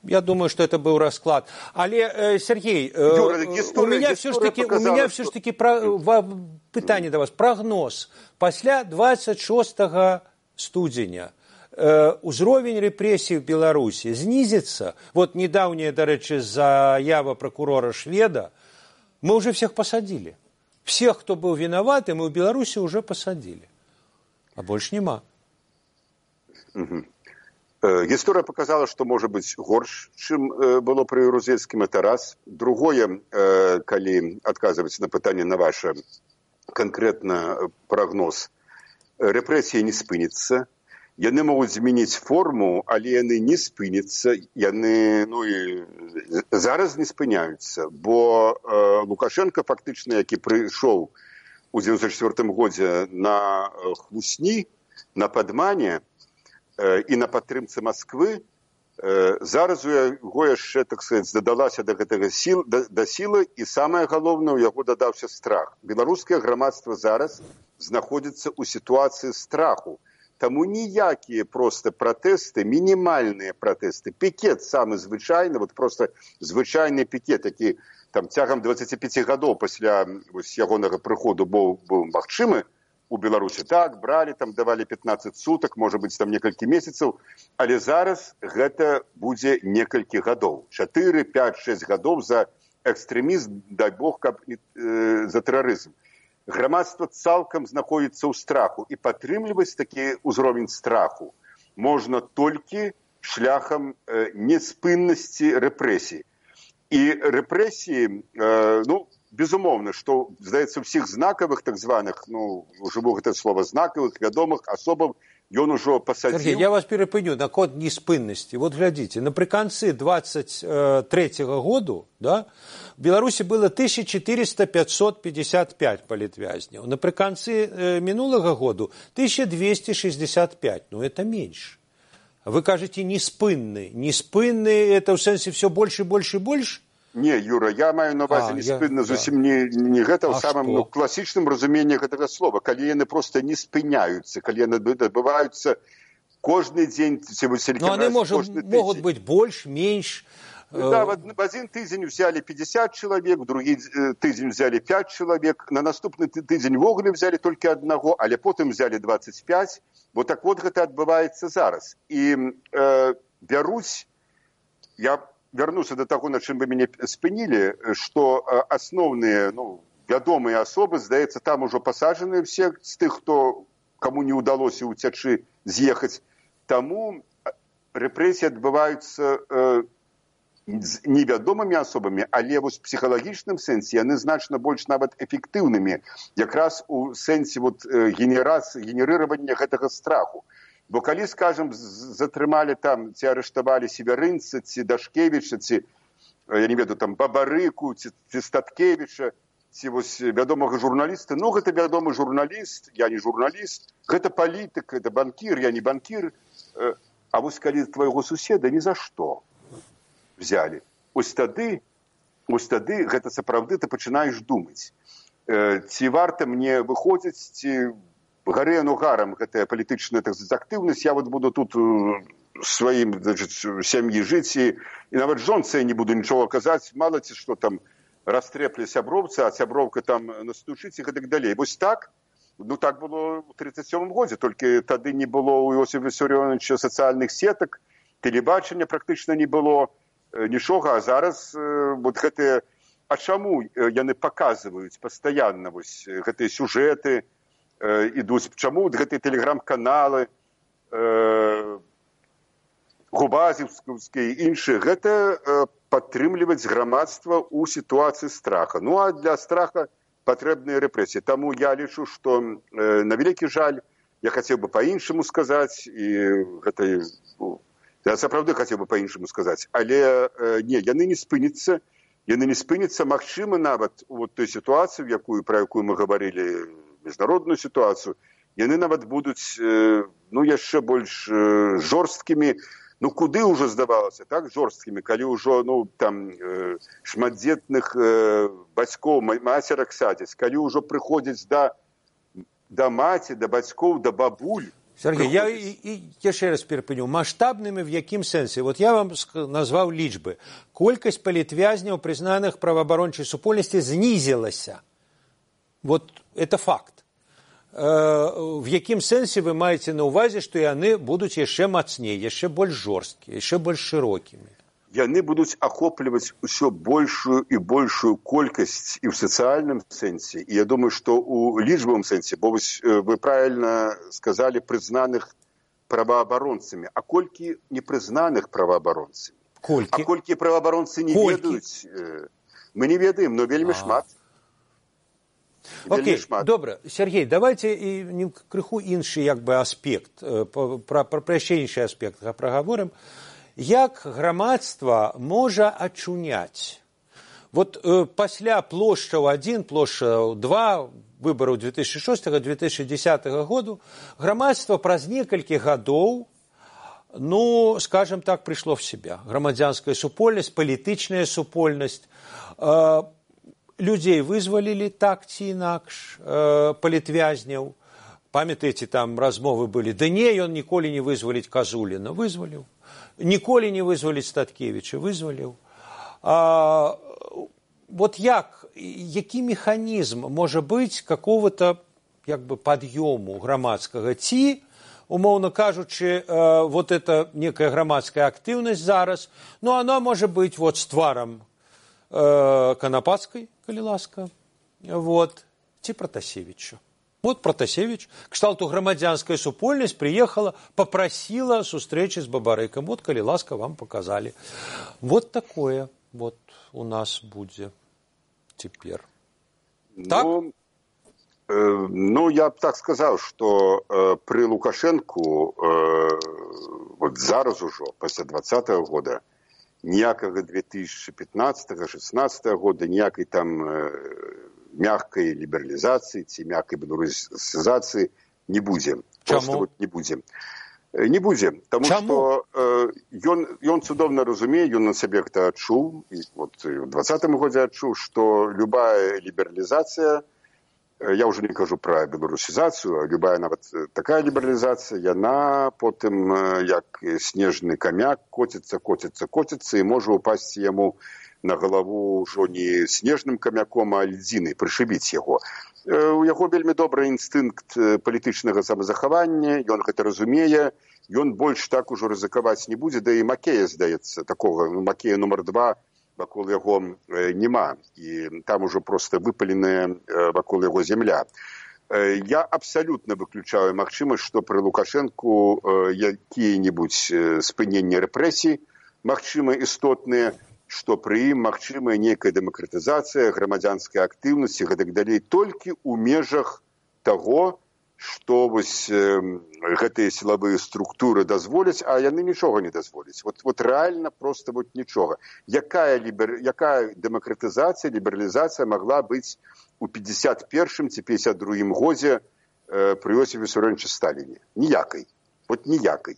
S2: Я думаю, что это был расклад. Але, Сергей, у меня все ж таки пытанне до вас. Прогноз. Пасля 26 студзеня узровень рэпрэсій в Беларусі знизится. Недавняя, до речи, заява прокурора Шведа. Мы уже всех посадили. Всех, кто был виноват, мы в Беларуси уже посадили. А больше нема.
S3: Гісторыя показала, што можа быць горш, чым было пры Ярузельскім, это раз. Другое, калі адказваць на пытанне на ваше канкрэтна прогноз, рэпрэсія не спыніцца. Яны могуць змяніць форму, але яны не спыняцца, яны зараз не спыняюцца, бо Лукашенко фактычна, які прыйшоў у 94 годзе на хлусні, на падмане і на падтрымцы Масквы, зараз у яго яшчэ, так сказать, дадалася да гэтага сілы, і самае галоўнае, у яго дадаўся страх. Беларускае грамадства зараз знаходзіцца ў сітуацыі страху. Таму ніякія проста пратэсты, мінімальныя пратэсты, пікет самы звычайны, просто звычайны пікет, які цягам 25 гадоў пасля ягонага прыходу быў магчымы у Беларусі. Так, бралі, давалі 15 сутак, можа быць, некалькі месяцаў, але зараз гэта будзе некалькі гадоў. 4, 5, 6 гадоў за экстрэмізм, дай Бог, каб за тэрарызм. грамадства цалкам знаходзіцца ў страху, і падтрымліваць такі ўзровень страху можна толькі шляхам неспыннасці рэпрэсій. І рэпрэсіі, безумоўна, што, здаецца, ўсіх знакавых, так званых, ужыву гэта слова, знакавых, вядомых асобаў, ён ужо пасадзіў...
S2: Сергей, я вас перапыню на код неспыннасці. Вот глядзіце, напрыканцы 23-го году, да, в Беларусі было 1455 палітвязняў. Напрыканцы мінулага году 1265. Это меньше. Вы кажете, неспынны. Неспынны, это в сэнсе все больше, больше, больше?
S3: Не, Юра, я маю на увазе неспынна зусім не гэта ў самым класічным разуменні гэтага слова, калі яны проста не спыняюцца, калі яны адбываюцца кожны дзень,
S2: но они могут быть больше, меньше.
S3: Да, в один тыдзень взяли 50 человек, в другі тыдзень взяли 5 человек, на наступны тыдзень вогуле взяли только одного, але потым взяли 25. Вот так вот гэта адбываецца зараз. І бяруць, я вярнуся до таго, на чым вы мяне спынілі, што асноўныя, вядомыя асобы, здаецца, там ужо пасаджаныя все з тых, каму не ўдалося ўцячы, з'ехаць. Таму рэпрэсіі адбываюцца з невядомымі асобамі, але вось в псіхалагічным сэнсе яны значна больш нават эфектыўнымі, якраз у сэнсе генерировання гэтага страху. Бо калі, скажем, затрымалі там, ці арыштавалі Северынца, ці Дашкевіча, ці, я не ведаю, там, Бабарыку, ці Статкевіча, ці вось вядомага журналіста, гэта вядомы журналіст, я не журналіст, гэта палітык, гэта банкір, я не банкір, а вось калі твайго суседа ні за што взяли. Ось тады гэта сапраўды ты пачынаеш думаць. Ці варта мне выходзіць, ці гарэ гарам гэтая палітычная актыўнасць, я буду тут сваім сям'і жыць, і нават жонцы не буду нічога казаць, мала ці што там растрэплі сяброўца, а сяброўка там настучыць і гэтак далей. Вось так, так было ў 1937 годзе, толькі тады не было ў Іосифа Вісарыёновича сацыяльных сетак, тэлебачання практычна не было, нічога, а зараз гэтыя... А чаму яны паказваюць пастаянна гэтыя сюжэты, ідуць, чаму гэтыя тэлеграм-каналы, губазівскія і іншыя, гэта падтрымліваць грамадства ў сітуацыі страха. А для страха патрэбныя рэпрэсіі. Таму я лічу, што на вялікі жаль, я хацеў бы па-іншаму сказаць, і гэта... Я сапраўды хацеў бы па-іншаму сказаць, але не, яны не спыняцца, магчыма, нават у той сітуацыі, пра якую мы гаварылі, міжнародную сітуацыю, яны нават будуць яшчэ больш жорсткімі, куды ўжо здавалася, так, жорсткімі, калі ўжо там шматдзетных бацькоў, мацерак садзяць, калі ўжо прыходзяць да маці, да бацькоў, да бабуль.
S2: Сергей, я еще раз перепыню. Масштабными в якім сэнсе? Вот я вам назвал лічбы. Колькасць палітвязняў, признаных праваабарончай супольнасці, знізілася. Вот это факт. В якім сэнсе вы маеце на ўвазе, што яны будуць яшчэ мацней, яшчэ больш жорсткія, яшчэ больш шырокімі?
S3: Яны будуць ахопліваць усё большую і большую колькасць і ў сацыяльным сэнсе. І я думаю, што ў лічбавым сэнсе, бо вы правільна сказалі прызнаных праваабаронцамі. А колькі непрызнаных праваабаронцамі?
S2: Колькі?
S3: А колькі праваабаронцы не ведаюць? Мы не ведаем, но вельмі шмат.
S2: Окей, добра. Сергей, давайте крыху іншы аспект, пра яшчэ іншы аспект прагаворым. Як грамадства можа ачуняць? Вот пасля плошчаў 1, плошчаў 2, выбараў 2006-2010 году, грамадства праз некалькі гадоў, скажем так, прыйшло в себя. Грамадзянская супольнасць, палітычная супольнасць, людзей вызвалілі так ці інакш, палітвязняў. Памятаеце, там размовы былі, да не, ён ніколі не вызваліць Казуліна, вызваліў. Ніколі не вызваліць Статкевіча, вызваліў. Вот які механізм можа быць какого-то пад'ёму грамадскага? Ці, умоўна кажучы, вот это некая грамадская актыўнасць зараз, она можа быць з тварам Канапацкай, калі ласка, ці Пратасевіча. Вот Пратасевич, кшталту грамадзянская супольнасць, приехала, попросила сустрэчы з Бабарыкам. Вот, калі ласка, вам показали. Вот такое вот у нас будзе цяпер. Так?
S3: Ну, я б так сказаў, што пры Лукашэнку вот зараз ужо, пасля 20-го года, ніякага 2015-16 года, ніякай там мягкай лібералізацыі ці мягкай беларусізацыі не будзе. Просто вот не будзе. Не будзе, таму што ён цудоўна разумее, ён на сабе гэта адчуў, вот у 20-м годзе адчуў, што любая лібералізацыя, я ўжо не кажу пра беларусізацыю, а любая нават такая лібералізацыя, яна потым, як снежны камяк, коціцца і можа упасці яму на галаву ўжо не снежным камяком, а льдзінай, прышыбіць яго. У яго вельмі добры інстынкт палітычнага самазахавання, ён гэта разумее, ён больш так ужо рызыкаваць не будзе, да і Макея, здаецца, такога, Макея нумар 2, вакол яго няма, і там ужо проста выпаленая вакол яго земля. Я абсалютна выключаю магчымасць, што пры Лукашэнку якія-небудзь спыненні рэпрэсій магчыма істотныя, што пры ім магчымая нейкая дэмакратызацыя, грамадзянская актыўнасць і гэтак далей, толькі ў межах таго, што вось гэтыя сілавыя структуры дазволяць, а яны нічога не дазволяць. Вот рэальна проста вот нічога. Якая дэмакратызацыя, лібералізацыя магла быць у 51-м ці 52-м годзе пры Йосіфе Вісарыёновичы Сталіне? Ніякай. Вот ніякай.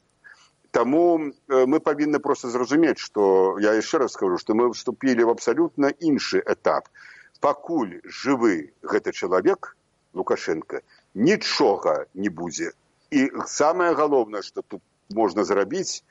S3: Таму мы павінны проста зразумець, што, я яшчэ раз скажу, што мы вступілі в абсалютна іншы этап. Пакуль жывы гэты чалавек, Лукашенко, нічога не будзе. І самае галоўнае, што тут можна зрабіць,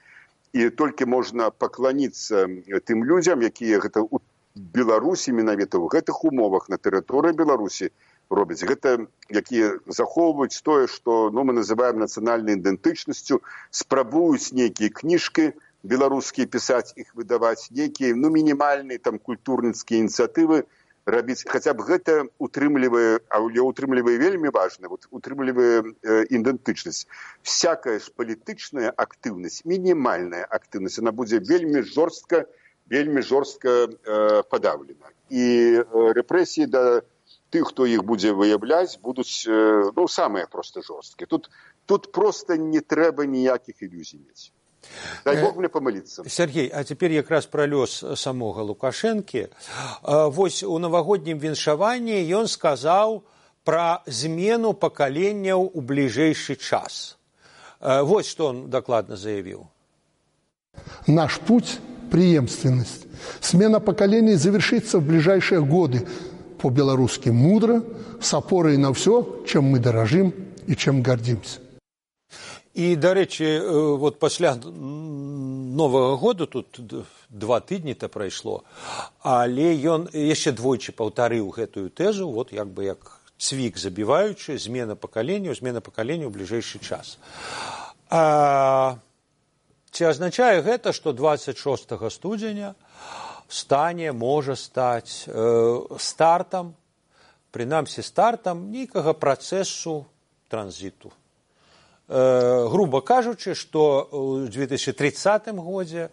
S3: і толькі можна пакланіцца тым людзям, якія гэта ў Беларусі, менавіта ў гэтых умовах на тэрыторыі Беларусі робяць. Гэта, якія захоўваюць тое, што мы называем нацыянальнай ідэнтычнасцю, спрабуюць нейкія кніжкі беларускія пісаць, іх выдаваць, нейкія мінімальныя там культурніцкія ініцыятывы рабіць. Хаця б гэта утрымлівае, але утрымлівае вельмі важна, утрымлівае ідэнтычнасць. Всякая ж палітычная актыўнасць, мінімальная актыўнасць, она будзе вельмі жорстка падаўлена. І рэпрэсіі да тых, хто іх будзе выяўляць, будуць самыя проста жорсткія. Тут проста не трэба ніякіх ілюзій мець. Дай Бог мне памыліцца.
S2: Сергей, а цяпер якраз пра лёс самога Лукашэнкі. Вось у навагоднім віншаванні ён сказаў пра змену пакаленняў у бліжэйшы час. Вот што он дакладна заявіў.
S6: Наш путь – преемственность. Смена поколений завершится в ближайшие годы. По-белорусски мудро, с опорой на все, чем мы дорожим и чем гордимся.
S2: І, да рэчы, вот пасля Новага года, тут 2 тыдні-то прайшло, але ён яшчэ двойчы паўтарыў гэтую тэзу, вот як бы як цвік забіваючы, змена пакаленняў у бліжэйшы час. Ці азначае гэта, што 26 студзеня можа стаць стартам, прынамсі стартам нейкага працэсу транзіту. Грубо кажучы, што ў 2030 годзе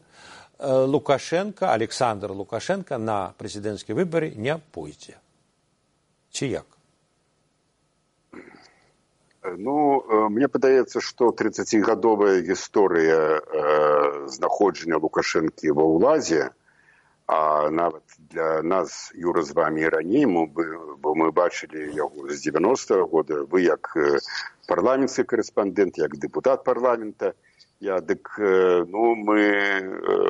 S2: Александр Лукашенко на прэзідэнцкія выбары не пойдзе. Ці як?
S3: Мне падаецца, што 30-гадовая гісторыя знаходжання Лукашэнкі ва ўладзе, а нават для нас, Юра, з вамі і раней, бо мы бачылі яго з 90-го года, вы як парламенцкі карэспандэнт, як дэпутат парламента, мы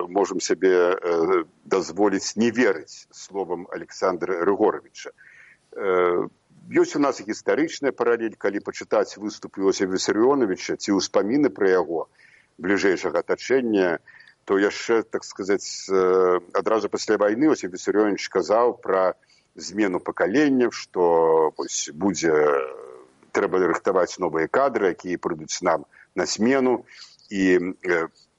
S3: можам сабе дазволіць не верыць словам Александра Рыгоровича. Ёсць у нас гістарычная паралель, калі пачытаць выступ Йосіфа Вісарыёновича ці ўспаміны пра яго бліжэйшага атачэння, то яшчэ, так сказаць, адразу пасля вайны Йосіф Вісарыёнович казаў пра змену пакаленняў, што трэба рыхтаваць новыя кадры, якія прыйдуць нам на смену. І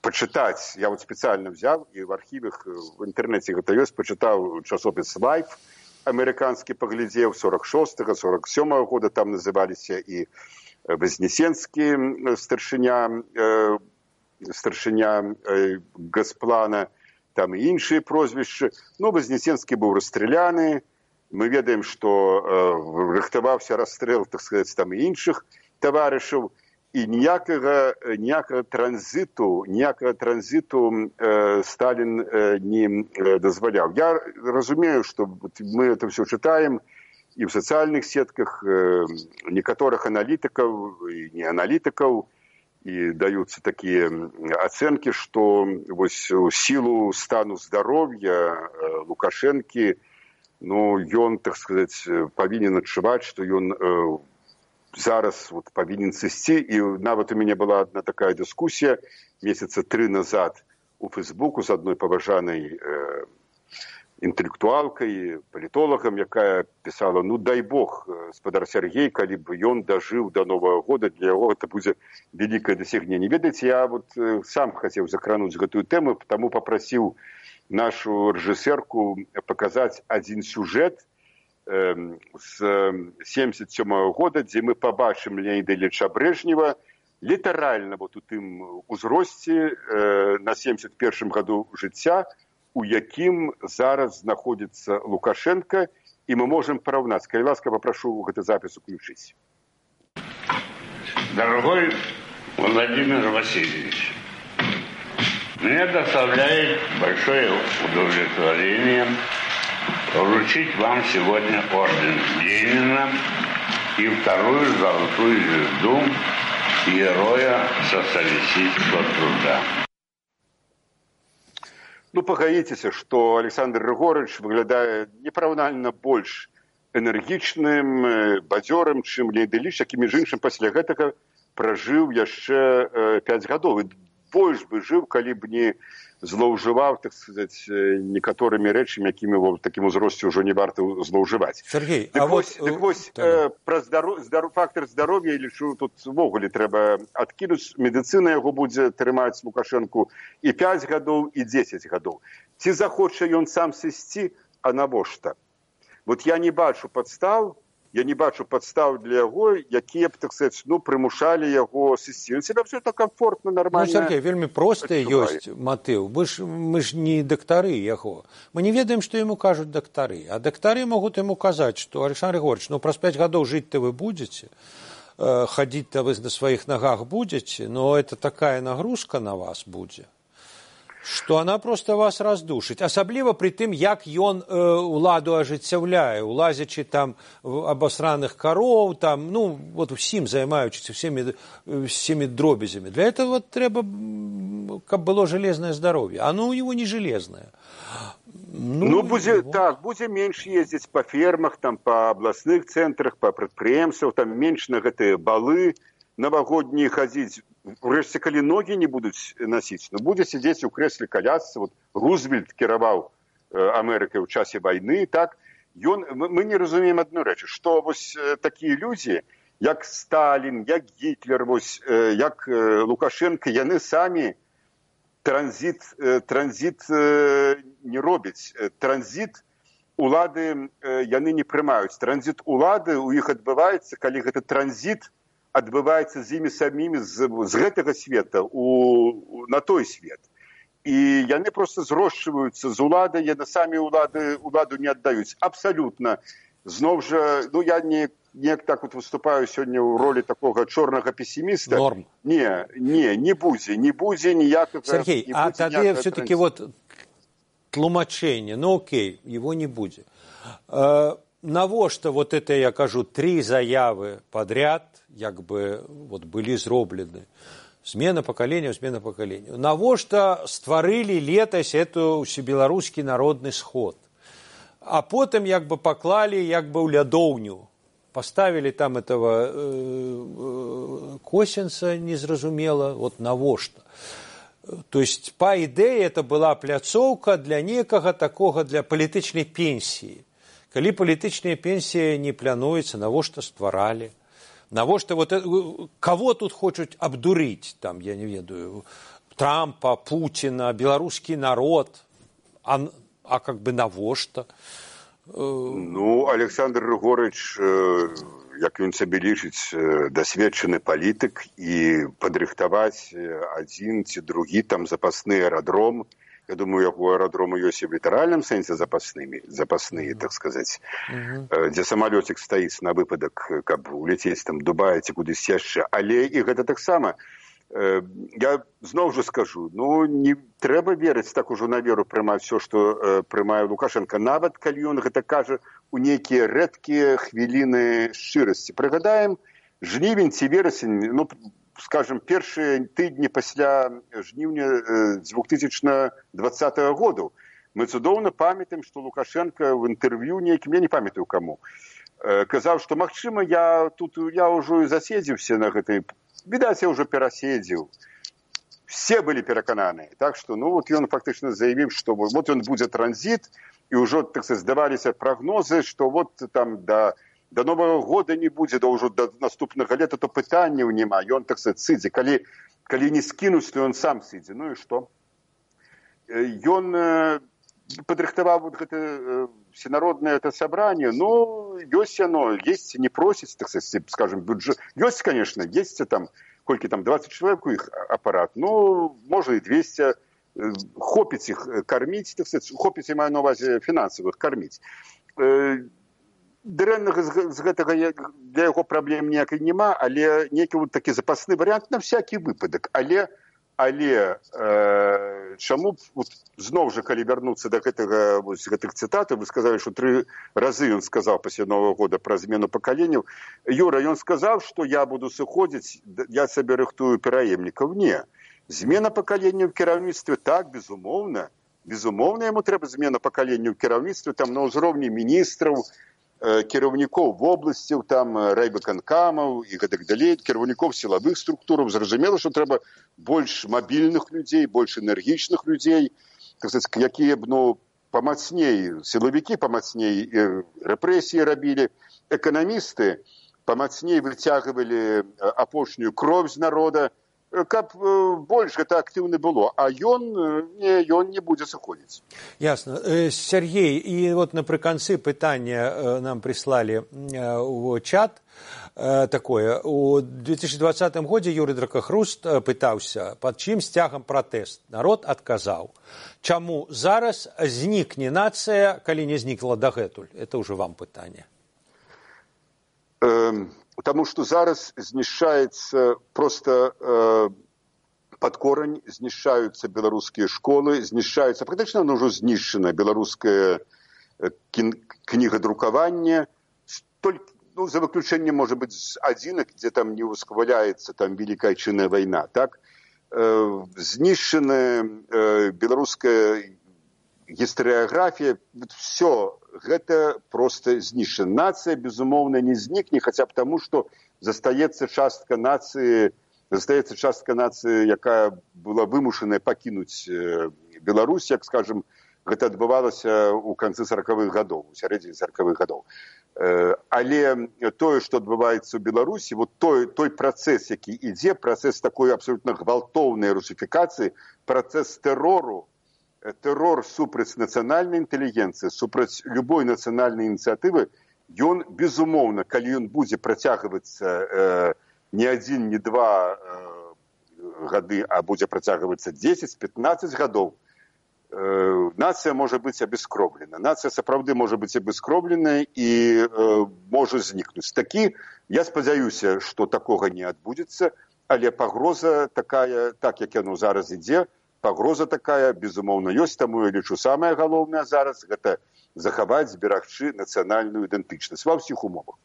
S3: пачытаць, я вот спецыяльна взяў, і в архівах, в інтэрнэце гэта ёсць, пачытаў часопіс «Лайф», амерыканскі паглядзеў 46-го, 47-го года, там называліся і Вознесенскі старшыня Газплана, там і іншыя прозвішчы. Ну, Вознесенскі быў расстраляны. Мы ведаем, што рыхтаваўся расстрэл, так сказаць, там і іншых таварышаў. І ніякага транзіту Сталін не дазваляў. Я разумею, што мы это все чытаем і ў сацыяльных сетках некаторых аналітыкаў і не аналітыкаў, і даюцца такія ацэнкі, што вось у сілу стану здароўя Лукашэнкі, ну, ён, так сказаць, павінен адчуваць, што ён зараз вот павінен сысці. І нават у мяне была одна такая дыскусія месяца 3 назад у Фейсбуку з адной паважанай інтэлектуалкай, палітолагам, якая пісала, ну, дай Бог, спадар Сергей, калі б ён дажыў до Нового года, для яго это будзе вялікае дасягненне. Ведаеце, я вот сам хацеў закрануць гэтую тэму, таму папрасіў нашу рэжысэрку паказаць адзін сюжэт з 77-го года, дзе мы пабачым Леоніда Ільіча Брэжнева літаральна вот у тым узросце на 71-м году жыцця, у якім зараз знаходзіцца Лукашенко, і мы можем параўнаць. Калі ласка, попрошу гэты запіс уключить.
S7: Дорогой Владимир Васильевич, мне доставляет большое удовлетворение вручить вам сегодня орден Ленина и вторую золотую звезду Героя социалистического труда.
S3: Ну, пагаіцеся, што Александр Григорьевич выглядае непараўнальна больш энергічным, бадзёрым, чым Леонід Іліч, які, між іншым, пасля гэтага пражыў яшчэ 5 гадоў. І больш бы жыў, калі б не злоўжываў, так сказаць, некаторымі рэчамі, якімі ў такім узросце ўжо не варта злоўжываць.
S2: Сергей,
S3: вось пра фактор здароўя, я лічу, тут увогуле трэба адкінуць. Медыцына яго будзе трымаць Лукашэнку і 5 гадоў, і 10 гадоў. Ці захоча ён сам сысці, а навошта? Вот я не бачу падстаў для яго, якія б, так сказаць, ну, прымушалі яго сысці. Ён себе абсолютно комфортно, нормально.
S2: Ну, Сергей, вельмі просты ёсць матыў. Мы ж не дактары яго. Мы не ведаем, што яму кажуць дактары. А дактары могуць яму казаць, што Александр Григорьевич, ну, праз 5 гадоў жыць-то вы будзеце, хадзіць-то вы на сваіх нагах будзеце, но это такая нагрузка на вас будзе, што она просто вас раздушыць. Асабліва пры тым, як ён уладу ажыццяўляе, улазячы там абасраных кароў, там, ну, вот усім займаючыся всеми дробязямі. Для этого вот трэба, каб было железное здароўе. Оно у него не железное. Ну будзе, так, будзе менш ездзіць па фермах, там, па абласных цэнтрах, па прадпрыемствах, там менш на гэтыя балы навагоднія хадзіць. Урэшце, калі ногі не будуць насіць, ну, будзе сидзець у крэсле калясцы. Вот Рузвельт кіраваў Амерыкай ў часе вайны, так? Мы не разумеем адну рэч, што вось такія людзі, як Сталін, як Гітлер, вось, як Лукашенко, яны самі транзит не робяць. Транзит улады яны не прымаюць. Транзит улады у іх адбываецца, калі гэты транзит адбываецца з імі самімі з гэтага света на той свет. І яны просто зрошчваюцца з уладай, яны самі уладу не аддаюць. Абсалютна. Зноў жа, ну, я неяк так вот выступаю сёння ў ролі такога чорнага песіміста. Норм.
S3: Не будзе ніякага...
S2: Сергей, а тады все-таки вот тлумачэнне, ну окей, его не будзе. Навошта вот это, я кажу, 3 заявы подряд, як бы вот былі зроблены. Смена поколения. Навошта стварылі летась эту усебеларускі народны сход. А потым як бы паклалі як бы ў лядоўню. Поставили там этого Косінца незразумела, вот навошта. То есть, по ідэі, это была пляцоўка для некага такога, для палітычнай пенсіі. Калі палітычная пенсія не плануецца, навошта стваралі? Навошта вот кого тут хочуць абдурыць, там, я не ведаю, Трампа, Путіна, беларускі народ, а как бы навошта?
S3: Александр Рыгорыч, як ён сабе лічыць, дасведчаны палітык, і падрыхтаваць адзін ці другі там запасны аэрадром. Я думаю, яго аэрадромы ёсць і в літаральным сэнсе запасныя, так сказаць, дзе самалёцік стаіць на выпадак, каб уляцець там Дубай ці кудысь яшчэ. Але і гэта таксама, я зноў жа скажу, не трэба верыць так ужо на веру прымаць все, што прымае Лукашенко, нават калі ён гэта кажа у нейкія рэдкія хвіліны шчырасці. Прыгадаем, жнівень ці верасень, скажем, першыя тыдні пасля жніўня 2020 году. Мы цудоўна памятаем, што Лукашенко в інтэрв'ю нейкім, я не памятаю каму, казаў, што, магчыма, я ўжо і заседзіўся на гэтай, відаць, я ўжо пераседзіў. Все былі перакананыя. Так што, ён фактычна заявіў, што ён будзе транзіт, і ўжо, так сказать, здаваліся прагнозы, што там до Нового года не будзе, ўжо до наступнага лета, то пытанняў няма. Ён, так сказать, сыдзе. Калі не скінуць, то ён сам сыдзе. І што? Ён падрыхтаваў гэта всенароднае сабранне. Ёсць яно, есть, не просіць, так сказать, скажем, бюджет. Ёсць, конечно, есть там, колькі там, 20 чалавек у іх апарат. Можа і 200. Хопіць іх карміць, так сказать, хопіць, я маю на увазе фінансавых, карміць. Дрэннага з гэтага для яго праблем ніякай няма, але нейкі такі запасны варыянт на всякі выпадак. Але чаму зноў жа, калі вярнуцца да гэтых цытатаў, вы сказалі, што 3 разы ён сказаў пасля Нового года пра змену пакаленняў. Юра, ён сказаў, што я буду сыходзіць, я сабе рыхтую пераемнікаў. Не. Змена пакалення ў кіраўніцтве, так, безумоўна. Безумоўна, яму трэба змена пакалення ў кіраўніцтве, там на ўзроўні міністраў, кіраўнікоў вобласцяў, там райвыканкамаў і гэтак далей, кіраўнікоў сілавых структураў. Зразумела, што трэба больш мабільных людзей, больш энергічных людзей, так сказаць, якія б, памацней, сілавікі памацней рэпрэсіі рабілі, эканамісты памацней выцягвалі апошнюю кроў з народа, каб больш гэта актыўна было, а ён не будзе сыходзіць.
S2: Ясна. Сергей, і напрыканцы пытання нам прыслалі ў чат такое. У 2020 годзе Юрый Дракахруст пытаўся, пад чым сцягам пратэст. Народ адказаў. Чаму зараз знікне нацыя, калі не знікла дагэтуль? Это ўжо вам пытанне.
S3: Потому что зараз знішчаецца просто под корень, знішчаюцца беларускія школы, знішчаюцца, практычна ўжо знішчана беларускае кнігадрукаванне, за выключэннем, можа быць, адзінак, дзе там не ўсхваляецца там Великая Отчинная вайна, так? Знішчана беларуская гістарыяграфія, все гэта просто знішчана. Нацыя, безумоўна, не знікне, хаця б таму, што застаецца частка нацыі, якая была вымушаная пакінуць Беларусь, як, скажем, гэта адбывалася ў канцы 40-х гадоў, у сярэдзіне 40-х гадоў. Але тое, што адбываецца ў Беларусі, той працэс, які ідзе, працэс такой абсолютна гвалтоўнай русіфікацыі, працэс тэрору, тэрор супраць нацыянальнай інтэлігенцыі, супраць любой нацыянальнай ініцыятывы, ён, безумоўна, калі ён будзе працягвацца не 1, не 2 гады, а будзе працягвацца 10-15 гадоў, нацыя можа быць абескровлена. Нацыя сапраўды можа быць абескровлена і можа знікнуць. Я спадзяюся, што такога не адбудзецца, але пагроза такая, так як яно зараз ідзе, пагроза такая, безумоўна, ёсць, таму я лічу, самае галоўнае зараз гэта захаваць, зберагчы нацыянальную ідэнтычнасць ва ўсіх умовах.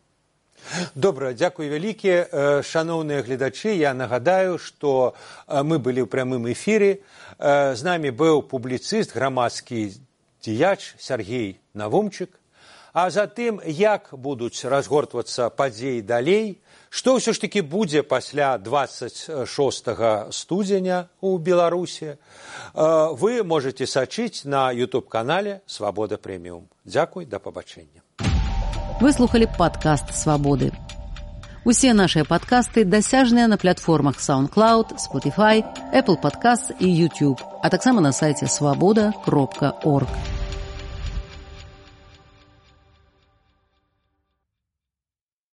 S2: Добра, дзякуй вялікі. Шаноўныя гледачы, я нагадаю, што мы былі ў прямым эфіры. З намі быў публіцыст, грамадскі дзеяч Сергей Навумчык. А затым, як будуць разгортвацца падзеі далей, што ўсё ж такі будзе пасля 26 студзеня ў Беларусі, вы можете сачыць на YouTube-канале «Свабода Прэміум». Дзякуй, да пабачэння.
S1: Вы слухали падкаст «Свабоды». Усе нашыя падкасты дасяжныя на платформах SoundCloud, Spotify, Apple Podcasts і YouTube, а таксама на сайце свабода.орг.